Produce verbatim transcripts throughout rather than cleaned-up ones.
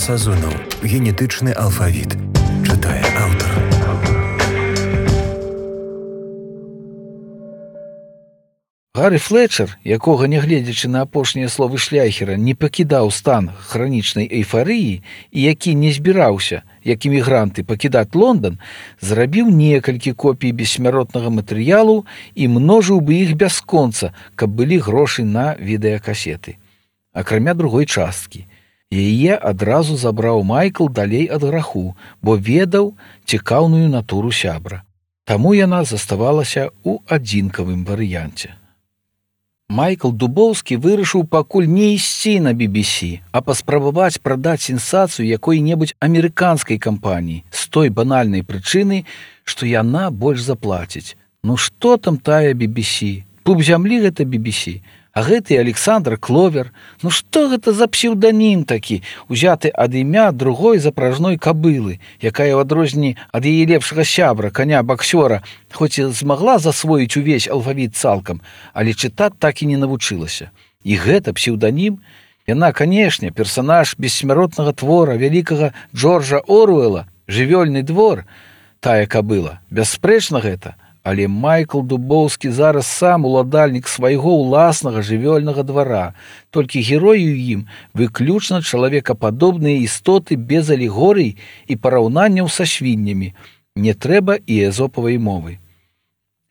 Сазонов. Генетичний алфавіт. Читає автор. Гаррі Флетчер, якога, нягледзячы на апошнія словы Шляйхера, не пакідаў стан хранічнай эйфарыі і які не збіраўся, як эмігранты, пакідаць Лондан, зрабіў некалькі копій бессмяротнага матэрыялу і множыў бы іх бясконца, каб былі грошы на відэакасеты. Акрамя другой часткі. Яе адразу забраў Майкл далей ад граху, бо ведаў цікаўную натуру сябра. Таму яна заставалася ў адзінкавым варыянце. Майкл Дубоўскі вырашыў пакуль не ісці на би би сі, а паспрабаваць прадаць сенсацыю якой-небудзь амерыканскай кампаніі з той банальнай прычыны, што яна больш заплаціць. Ну што там тая би би сі? Пуп зямлі гэта би би сі. А гэты Александр Кловер, ну што гэта за псеўданім такі, узяты ад імя другой запражной кабылы, якая ў адрозненні ад яе лепшага сябра, каня-баксёра, хоць і змагла засвоіць увесь алфавіт цалкам, але чытаць так і не навучылася. І гэта псеўданім? Яна, канешне, персанаж бессмяротнага твора вялікага Джорджа Оруэла, «Жывёльны двор», тая кабыла, бясспрэчна гэта. Але Майкл Дубоўскі зараз сам уладальнік свайго ўласнага жывёльнага двара, толькі героі ў ім выключна чалавекападобныя істоты без алегорый і параўнанняў са свіннямі. Не трэба і эзопавай мовы.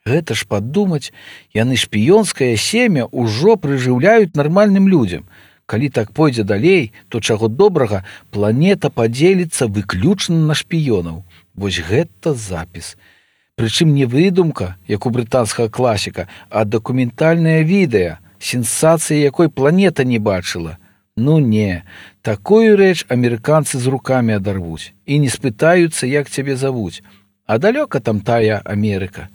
Гэта ж падумаць, яны шпіёнскае семя ўжо прыжыўляюць нармальным людзям. Калі так пойдзе далей, то чаго добрага, планета падзеліцца выключна на шпіёнаў. Вось гэта запіс. Прычым не выдумка, як у брытанскага класіка, а дакументальнае відэа, сенсацыя якой планета не бачыла. Ну не, такую рэч амерыканцы з рукамі адарвуць і не спытаюцца, як цябе завуць. А далёка там тая Амерыка.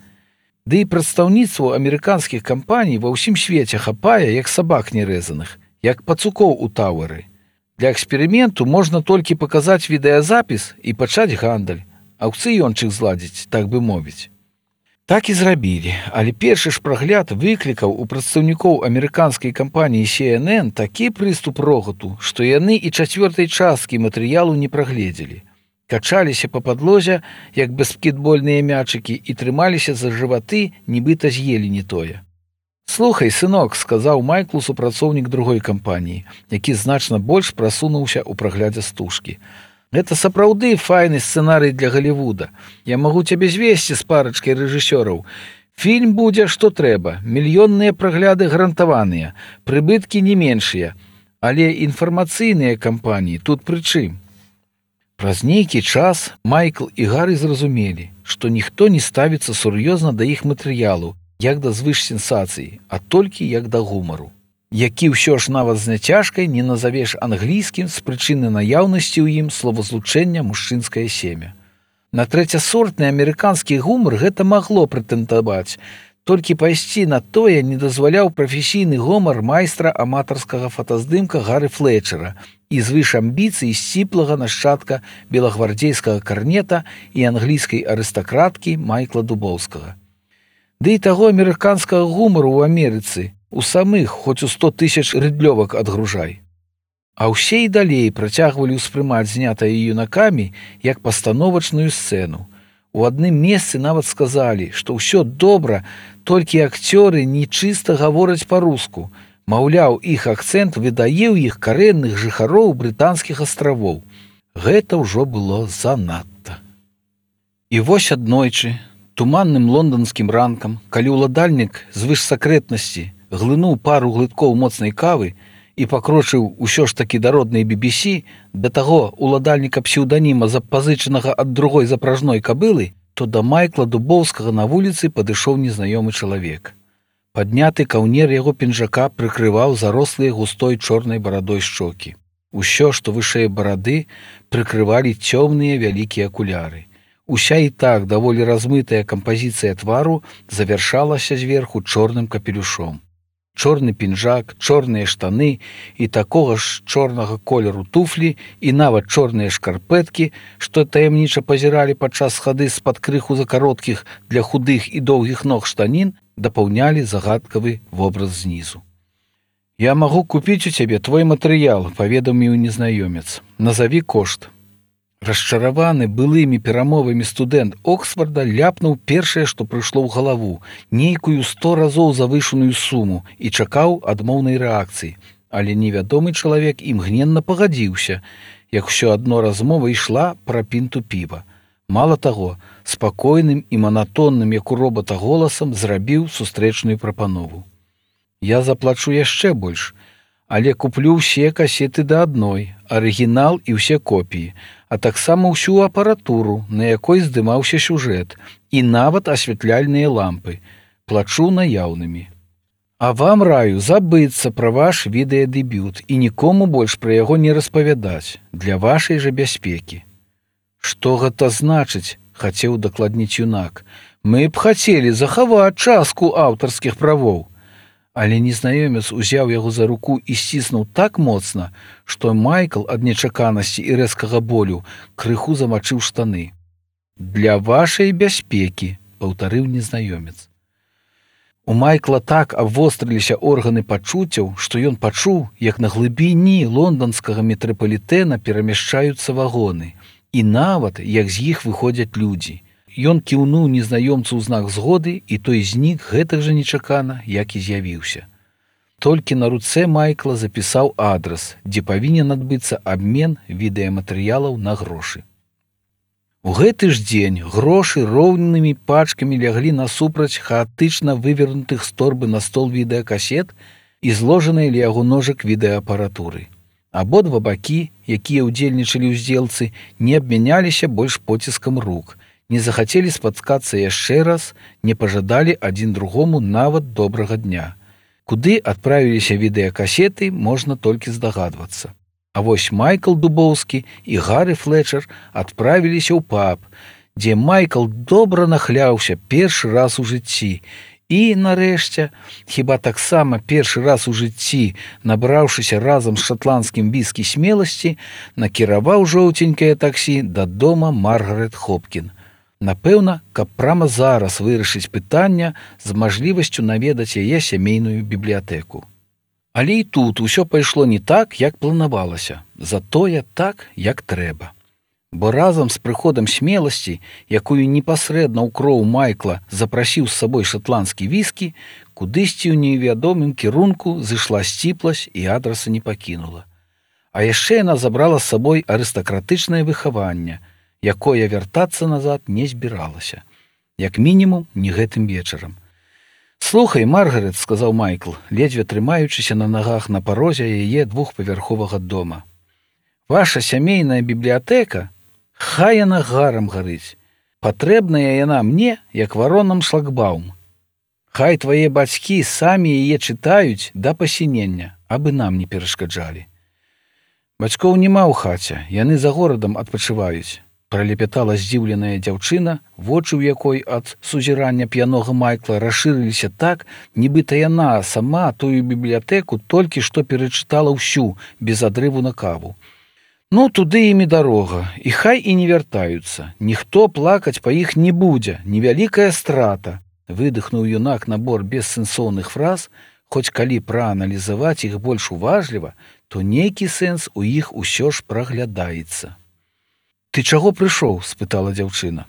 Ды і прадстаўніцтву амерыканскіх кампаній ва ўсім свеце хапае, як сабак нерэзаных, як пацукоў у Тауэры. Для эксперыменту можна толькі паказаць відэазапіс і пачаць гандаль. Аўкцыёнчык зладзіць, так бы мовіць. Так і зрабілі, але першы ж прагляд выклікаў у прадстаўнікоў амерыканскай кампаніі сі эн эн такі прыступ рогату, што яны і чацвёртай часткі матэрыялу не прагледзелі. Качаліся па падлозе, як баскетбольныя мячыкі, і трымаліся за жываты, нібыта з'елі не тое. «Слухай, сынок», — сказаў Майклу супрацоўнік другой кампаніі, які значна больш прасунуўся ў праглядзе стужкі. «Гэта сапраўды файны сцэнарый для Галівуда. Я магу цябе звесці з парачкай рэжысёраў. Фільм будзе, што трэба, мільённыя прагляды гарантаваныя, прыбыткі не меншыя, але інфармацыйныя кампаніі тут пры чым?» Праз нейкі час Майкл і Гаррі зразумелі, што ніхто не ставіцца сур'ёзна да іх матэрыялу, як да звышсенсацыі, а толькі як да гумару, які ўсё ж нават з няцяжкай не назавеш англійскім з прычыны наяўнасці ў ім словазлучэння мужчынскае семя. На трэцясортны амерыканскі гумар гэта магло прэтэндаваць, толькі пайсці на тое не дазваляў прафесійны гумар майстра аматарскага фотаздымка Гаррі Флетчера і звыш амбіцый сціплага нашчадка белагвардзейскага карнета і англійскай арыстакраткі Майкла Дубоўскага. Ды і таго амерыканскага гумару ў Амерыцы у самых хоць у сто тысяч рыдлёвак адгружай. А ўсе і далей працягвалі ўспрымаць знятае юнакамі як пастановачную сцэну. У адным месцы нават сказалі, што ўсё добра, толькі акцёры нечыста гавораць па-руску. Маўляў, іх акцэнт выдае ў іх карэнных жыхароў брытанскіх астравоў. Гэта ўжо было занадта. І вось аднойчы, туманным лонданскім ранкам, калі ўладальнік звышсакрэтнасці глынуў пару глыткоў моцнай кавы і пакрочыў усё ж такі да роднай би би сі, да таго уладальніка псеўданіма запазычанага ад другой запражной кабылы, то да Майкла Дубоўскага на вуліцы падышоў незнаёмы чалавек. Падняты каўнер яго пінжака прыкрываў зарослыя густой чорнай барадой шчокі. Усё, што вышэй барады, прыкрывалі цёмныя вялікія акуляры. Уся і так даволі размытая кампазіцыя твару завяршалася зверху чорным капелюшом. Чорны пінжак, чорныя штаны і такога ж чорнага колеру туфлі і нават чорныя шкарпэткі, што таямніча пазіралі падчас хады з-пад крыху за кароткіх для худых і доўгіх ног штанін, дапаўнялі загадкавы вобраз знізу. Я магу купіць у цябе твой матэрыял, паведаміў незнаёмец. Назаві кошт. Расчараваны былымі перамовамі студэнт Оксфорда ляпнуў першае, што прыйшло ў галаву, нейкую сто разоў завышаную суму і чакаў адмоўнай рэакцыі. Але невядомы чалавек імгненна пагадзіўся, як усё адно размова ішла пра пінту піва. Мала таго, спакойным і манатонным, як у робата голасам, зрабіў сустрэчную прапанову. Я заплачу яшчэ больш, але куплю ўсе касеты да адной, арыгінал і ўсе копіі, а таксама ўсю апаратуру, на якой здымаўся сюжэт, і нават асвятляльныя лампы. Плачу наяўнымі. А вам раю забыцца пра ваш відэадэбют і нікому больш пра яго не распавядаць, для вашай жа бяспекі. Што гэта значыць, хацеў дакладніць юнак. Мы б хацелі захаваць частку аўтарскіх правоў. Але незнаёмец узяў яго за руку і сціснуў так моцна, што Майкл ад нечаканасці і рэзкага болю крыху замачыў штаны. Для вашай бяспекі, паўтарыў незнаёмец. У Майкла так абвострыліся органы пачуццяў, што ён пачуў, як на глыбіні лонданскага метрапалітэна перамяшчаюцца вагоны, і нават, як з іх выходзяць людзі. Ён кіўнуў незнаёмцу ў знак згоды, і той знік гэтак жа нечакана, як і з'явіўся. Толькі на руцэ Майкла запісаў адрас, дзе павінен адбыцца абмен відэаматэрыялаў на грошы. У гэты ж дзень грошы роўнымі пачкамі ляглі насупраць хаатычна вывернутых з торбы на стол відэакасет і зложаныя ля яго ножак відэаапаратуры. Абодва бакі, якія ўдзельнічалі ў здзелцы, не абмяняліся больш поціскам рук, не захацелі спаткацца яшчэ раз, не пажадалі адзін другому нават добрага дня. Куды адправіліся відэакасеты, можна толькі здагадвацца. А вось Майкл Дубоўскі і Гары Флетчер адправіліся ў паб, дзе Майкл добра нахляўся першы раз у жыцці і, нарэшце, хіба таксама першы раз у жыцці, набраўшыся разам з шатландскім віскі смеласці, накіраваў жоўценькае таксі да дома Маргарет Хопкін. Напэўна, каб прама зараз вырашыць пытання з мажлівасцю наведаць яе сямейную бібліятэку. Але і тут усё пайшло не так, як планавалася, затое так, як трэба. Бо разам з прыходам смеласці, якую непасрэдна ў кроў Майкла запрасіў з сабой шатландскі віскі, кудысьці ў невядомым кірунку зышла сціпласць і адраса не пакінула. А яшчэ яна забрала з сабой арыстакратычнае выхаванне, якое вяртацца назад не збіралася. Як мінімум, не гэтым вечарам. «Слухай, Маргарет», — сказаў Майкл, ледзьве трымаючыся на нагах на парозе яе двухпавярховага дома. «Ваша сямейная бібліятэка, хай яна гарам гарыць. Патрэбная яна мне, як варонам шлагбаум. Хай твае бацькі самі яе чытаюць да пасінення, абы нам не перашкаджалі». «Бацькоў няма ў хаце, яны за горадам адпачываюць», — пралепятала здзіўленая дзяўчына, вочы ў якой ад сузірання п'янога Майкла расшырыліся так, нібыта яна сама тую бібліятэку толькі што перачытала ўсю, без адрыву на каву. «Ну, туды ім і дарога, і хай і не вяртаюцца. Ніхто плакаць па іх не будзе, невялікая страта», — выдыхнуў юнак набор бессэнсоўных фраз, хоць калі прааналізаваць іх больш уважліва, то нейкі сэнс у іх усё ж праглядаецца. «Ты чаго прыйшоў?» — спытала дзяўчына.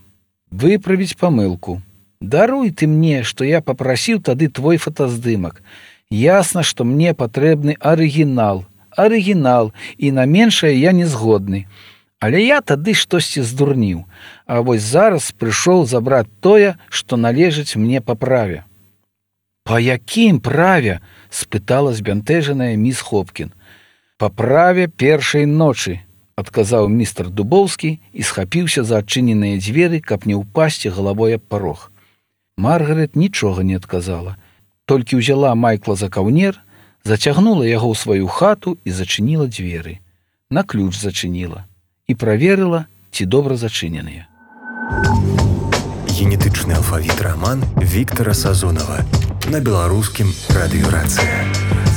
«Выправіць памылку. Даруй ты мне, што я папрасіў тады твой фотаздымак. Ясна, што мне патрэбны арыгінал, арыгінал, і на меншае я не згодны. Але я тады штосьці здурніў, а вось зараз прыйшоў забраць тое, што належыць мне па праве». «Па якім праве?» — спытала збянтэжаная міс Хопкін. «Па праве першай ночы», — адказаў містер Дубоўскі і схапіўся за адчыненыя дзверы, каб не ўпасці галавой аб парог. Маргарет нічога не адказала, толькі ўзяла Майкла за каўнер, зацягнула яго ў сваю хату і зачыніла дзверы. На ключ зачыніла і праверыла, ці добра зачыненыя. Генетычны алфавіт раман Віктара Сазонава на беларускім радыёрацыя.